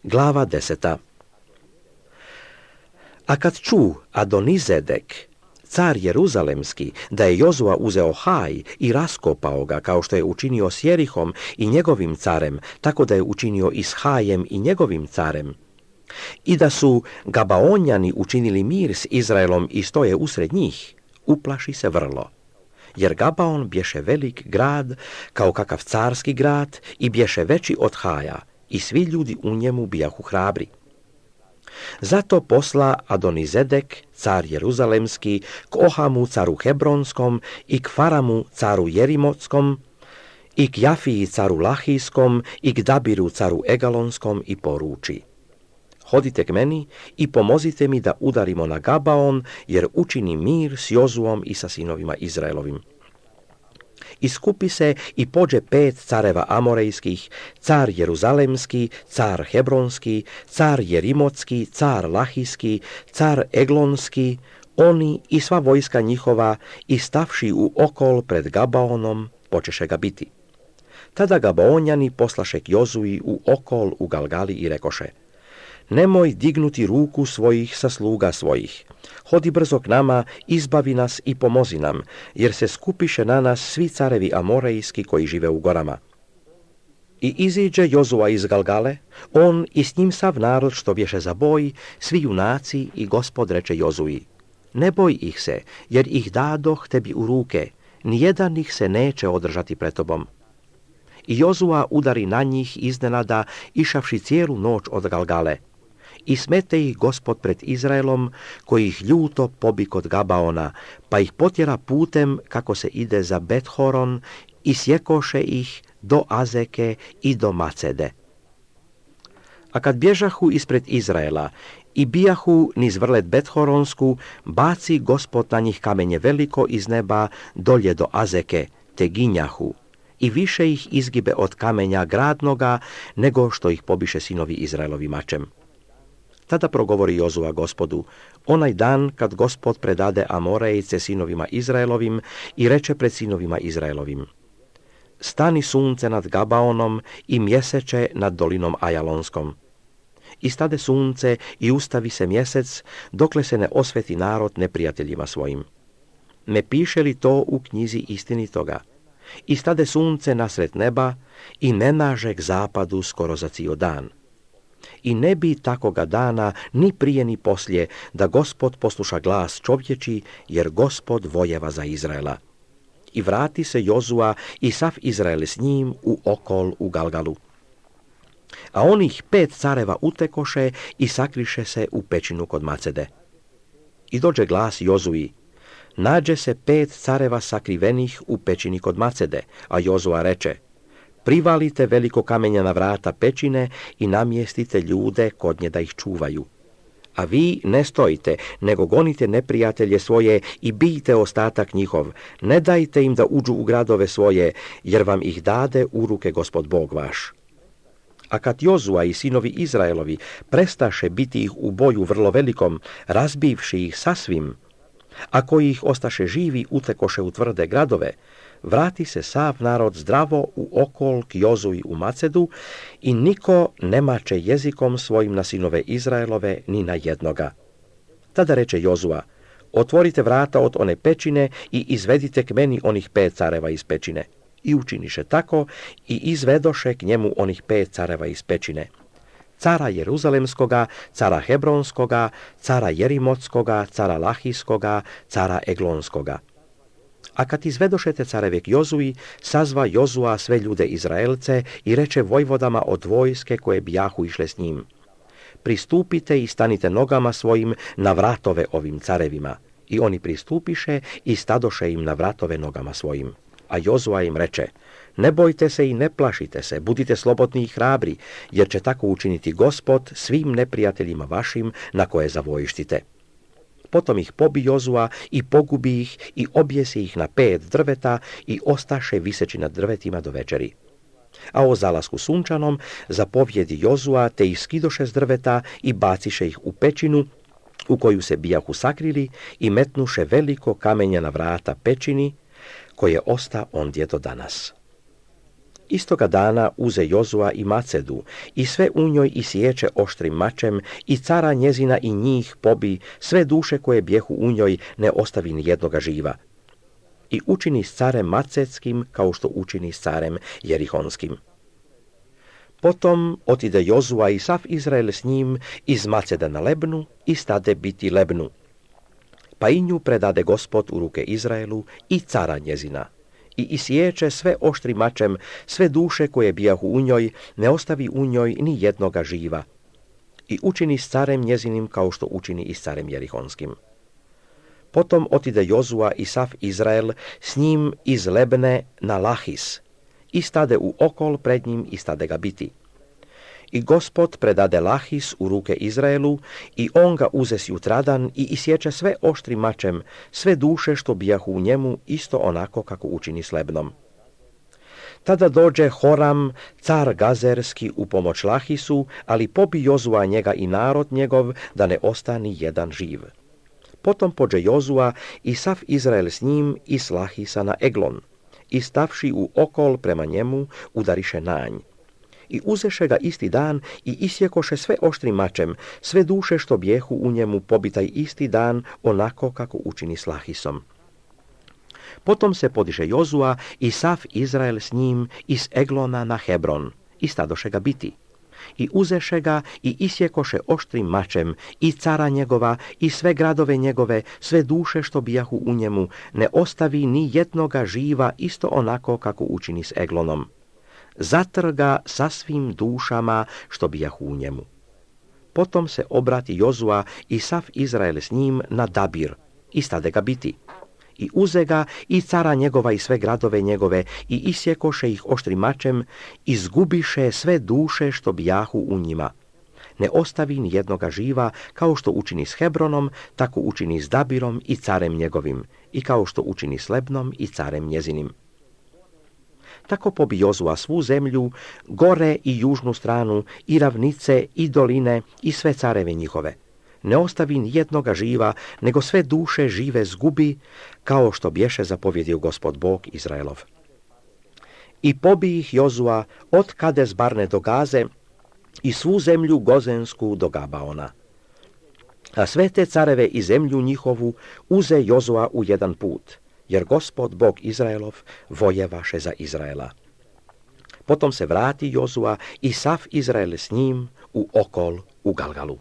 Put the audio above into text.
Glava 10. A kad ču Adonizedek, car Jeruzalemski, da je Jozua uzeo Haj i raskopao ga, kao što je učinio s Jerihom i njegovim carem, tako da je učinio i s Hajem i njegovim carem, i da su Gabaonjani učinili mir s Izraelom i stoje usred njih, uplaši se vrlo. Jer Gabaon bješe velik grad, kao kakav carski grad, i bješe veći od Haja, i svi ljudi u njemu bijahu hrabri. Zato posla Adonizedek, car Jeruzalemski, k Ohamu, caru Hebronskom, i k Faramu, caru Jerimotskom, i k Jafiji, caru Lahijskom, i k Dabiru, caru Egalonskom, i poruči: Hodite k meni i pomozite mi da udarimo na Gabaon, jer učini mir s Jozuom i sa sinovima Izraelovim. Iskupi se i pođe 5 careva amorejskih, car Jeruzalemski, car Hebronski, car Jerimotski, car Lahijski, car Eglonski, oni i sva vojska njihova, i stavši u okol pred Gabaonom, počeše ga biti. Tada Gabaonjani poslaše k Jozui u okol u Galgali i rekoše: Nemoj dignuti ruku svojih sa sluga svojih. Hodi brzo k nama, izbavi nas i pomozi nam, jer se skupiše na nas svi carevi amorejski koji žive u gorama. I iziđe Jozua iz Galgale, on i s njim sav narod što bješe za boj, svi junaci, i Gospod reče Jozui: Ne boj ih se, jer ih dadoh tebi u ruke, nijedan ih se neće održati pred tobom. I Jozua udari na njih iznenada, išavši cijelu noć od Galgale. I smete ih Gospod pred Izraelom, koji ih ljuto pobi kod Gabaona, pa ih potjera putem kako se ide za Bethoron, i sjekoše ih do Azeke i do Macede. A kad bježahu ispred Izraela i bijahu niz vrlet Bethoronsku, baci Gospod na njih kamenje veliko iz neba dolje do Azeke, te ginjahu, i više ih izgibe od kamenja gradnoga, nego što ih pobiše sinovi Izraelovi mačem. Tada progovori Jozua Gospodu, onaj dan kad Gospod predade Amorejce sinovima Izraelovim, i reče pred sinovima Izraelovim: Stani sunce nad Gabaonom i mjeseče nad dolinom Ajalonskom. I stade sunce i ustavi se mjesec, dokle se ne osveti narod neprijateljima svojim. Ne piše li to u knjizi istinitoga? I stade sunce nasred neba i ne naže k zapadu skoro za cijel dan. I ne bi takoga dana ni prije ni poslije da Gospod posluša glas čovječi, jer Gospod vojeva za Izraela. I vrati se Jozua i sav Izrael s njim u okol u Galgalu. A onih 5 careva utekoše i sakriše se u pećinu kod Macede. I dođe glas Jozui: Nađe se 5 careva sakrivenih u pećini kod Macede, a Jozua reče: Privalite veliko kamenja na vrata pećine i namjestite ljude kod nje da ih čuvaju. A vi ne stojite, nego gonite neprijatelje svoje i bijte ostatak njihov, ne dajte im da uđu u gradove svoje, jer vam ih dade u ruke Gospod Bog vaš. A kad Jozua i sinovi Izraelovi prestaše biti ih u boju vrlo velikom, razbivši ih sasvim, a koji ih ostaše živi utekoše u tvrde gradove, vrati se sav narod zdravo u okol k Jozui u Macedu, i niko ne mače jezikom svojim na sinove Izraelove ni na jednoga. Tada reče Jozua: Otvorite vrata od one pećine i izvedite k meni onih 5 careva iz pećine. I učiniše tako i izvedoše k njemu onih 5 careva iz pećine: cara Jeruzalemskoga, cara Hebronskoga, cara Jerimotskoga, cara Lahijskoga, cara Eglonskoga. A kad izvedošete careve k Jozui, sazva Jozua sve ljude Izraelce i reče vojvodama od vojske koje bijahu išle s njim: Pristupite i stanite nogama svojim na vratove ovim carevima. I oni pristupiše i stadoše im na vratove nogama svojim. A Jozua im reče: Ne bojte se i ne plašite se, budite slobodni i hrabri, jer će tako učiniti Gospod svim neprijateljima vašim na koje zavojištite. Potom ih pobi Jozua i pogubi ih i objesi ih na 5 drveta i ostaše viseći nad drvetima do večeri. A o zalasku sunčanom zapovjedi Jozua, te ih skidoše s drveta i baciše ih u pećinu u koju se bijahu sakrili i metnuše veliko kamenja na vrata pećini, koje osta ondje do danas. Istoga dana uze Jozua i Macedu, i sve u njoj isječe oštrim mačem, i cara njezina i njih pobi, sve duše koje bjehu u njoj ne ostavi ni jednoga živa. I učini s carem Macetskim kao što učini s carem Jerihonskim. Potom otide Jozua i sav Izrael s njim iz Maceda na Lebnu i stade biti Lebnu. Pa i nju predade Gospod u ruke Izraelu i cara njezina. I isječe sve oštrim mačem, sve duše koje bijahu u njoj, ne ostavi u njoj ni jednoga živa. I učini s carem njezinim kao što učini i s carem Jerihonskim. Potom otide Jozua i sav Izrael s njim iz Lebne na Lahis i stade u okol pred njim i stade ga biti. I Gospod predade Lahis u ruke Izraelu i on ga uze sjutradan i isječe sve oštrim mačem, sve duše što bijahu u njemu, isto onako kako učini s Lebnom. Tada dođe Horam, car Gazerski, u pomoć Lahisu, ali pobi Jozua njega i narod njegov, da ne ostani jedan živ. Potom pođe Jozua i sav Izrael s njim i s Lahisa na Eglon, i stavši u okol prema njemu, udariše nanj. I uzeše ga isti dan i isjekoše sve oštrim mačem, sve duše što bijehu u njemu pobitaj isti dan, onako kako učini s Lahisom. Potom se podiše Jozua i sav Izrael s njim iz Eglona na Hebron, i stadoše ga biti. I uzeše ga i isjekoše oštrim mačem, i cara njegova, i sve gradove njegove, sve duše što bijahu u njemu, ne ostavi ni jednoga živa, isto onako kako učini s Eglonom. Zatrga sa svim dušama što bijahu u njemu. Potom se obrati Jozua i sav Izrael s njim na Dabir, i stade ga biti. I uze ga i cara njegova i sve gradove njegove, i isjekoše ih oštrim mačem, izgubiše sve duše što bijahu u njima. Ne ostavi ni jednoga živa, kao što učini s Hebronom, tako učini s Dabirom i carem njegovim, i kao što učini s Lebnom i carem njezinim. Tako pobi Jozua svu zemlju, gore i južnu stranu, i ravnice, i doline, i sve careve njihove. Ne ostavi ni jednoga živa, nego sve duše žive zgubi, kao što bješe zapovjedio Gospod Bog Izraelov. I pobi ih Jozua od Kades Barne do Gaze, i svu zemlju Gozensku do Gabaona. A sve te careve i zemlju njihovu uze Jozua u jedan put, jer Gospod Bog Izraelov vojevaše za Izraela. Potom se vrati Jozua i sav Izrael s njim u okol u Galgalu.